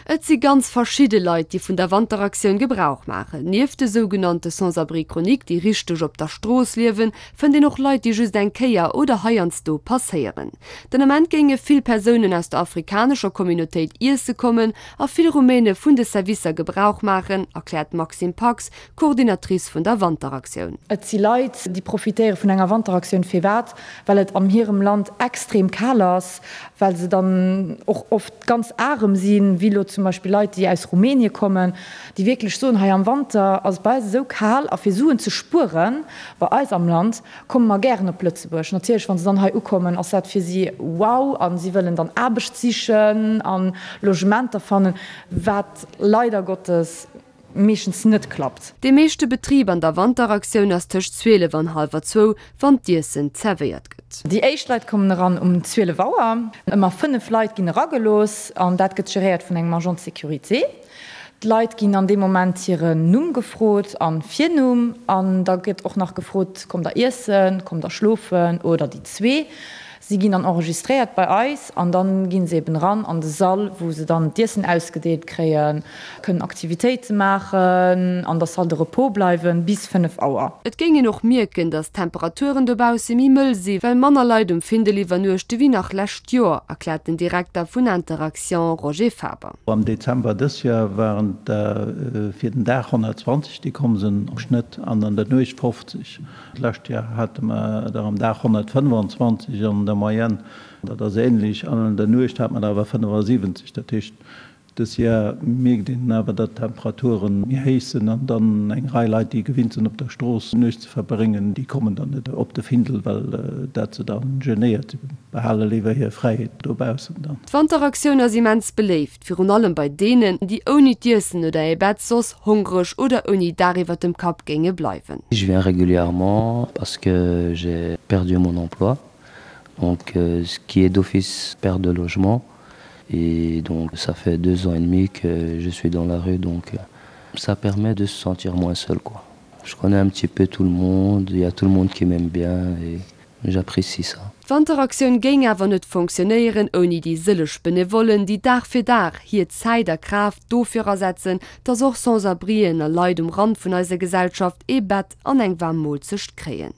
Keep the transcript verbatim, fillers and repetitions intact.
Et si ganz verschidde Leit, déi vun der Wanteraktioun Gebrauch maachen. Nieft de sougenannte Sans-abri chroniques, déi richteg op der Strooss liewen, fënnt een och Leit, déi just eng Kéier oder heiansdo passéieren. Den Ament géinge vill Persounen aus der afrikanescher Communautéit iesse kommen a vill Rumäne vun de Servicer Gebrauch maachen, erkläert d'Maxime Pax, Coordinatrice vun der Wanteraktioun. Et si Leit, déi profitéiere vun enger Wanteraktioun. Firwat? Well et an hirem Land extrem kal ass, well se dann och oft ganz arem sinn, wéi elo zum Beispill Leit, déi aus Rumänien kommen, déi wierklech soen, hei am Wanter ass et bei eis esou kal a fir Suen ze spueren bei eis am Land, komme mer gären op Lëtzebuerg. Natierlech, wa se dann hei ukommen, ass dat fir si wow a si wëllen dann Aarbecht sichen a Logementer fannen, wat leider Gottes meeschtens net klappt. Dee meeschte Betrib an der Wanteraktioun ass tëscht zwielef an hallwer zwou, wann d'Iessen zerwéiert gëtt. Déi éischt Leit kommen eran um zwielef Auer. Ëmmer fënnef Leit ginn eragelooss an dat gëtt geréiert vun engem Agent de sécurité. D'Leit ginn an deem Moment hiren Numm gefrot an Virnumm an da gëtt och nach gefrot, kommt der iessen, kommt der schlofen oder déi zwee. Si ginn dann enregistréiert bei eis an dann ginn se eben eran an de Sall, wou se dann d'Iessen ausgedeelt kréien, kënnen Aktivitéite maachen, an der Salle de repos bleiwen bis fënnef Auer. Et géing een och mierken, datt d'Temperaturen dobausse méi mëll si well manner Leit um Findel iwwernuechte wéi nach lescht Joer, erkläert den Direkter vun Interaction Roger Faber. Am Dezember dës Joer waren et der fir den Dag honnertzwanzeg, déi komm sinn am Schnëtt, an an der Nuecht fofzeg. D'lescht Joer hate mer der am Dag honnertfënnwanzwanzeg an der Moyenne, dat ass änlech, an an der Nuecht hate mer der awer fënnefasiwwenzeg. Dat heescht, dës Joer mierkt een awer, datt d'Temperature méi héich sinn an dann eng Rei Leit, déi gewinnt sinn, op der Strooss d'Nuecht ze verbréngen, déi kommen dann net op de Findel, well dat se da genéiert. Si behale léiwer hir Fräiheet dobaussen dann. D'Wanteraktioun ass immens beléift, virun allem bei deenen, déi ouni d'Iessen oder ee Bett soss hongreg oder ouni Daach iwwer dem Kapp géinge bleiwen. Je viens régulièrement parce que j'ai perdu mon emploi, donc ce qui est d'office perte de logement et donc ça fait deux ans et demi que je suis dans la rue donc ça permet de se sentir moins seul quoi. Je connais un petit peu tout le monde, il y a tout le monde qui m'aime bien et j'apprécie ça. D'Wanteraktioun géing awer net fonctionnéieren ouni déi sëlleg Benevollen, déi Dag fir Dag hir Zäit a Kraaft dofir asetzen, dass och Sans-abrien a Leit um Rand vun eiser Gesellschaft ee Bett an eng waarm Moolzecht kréien.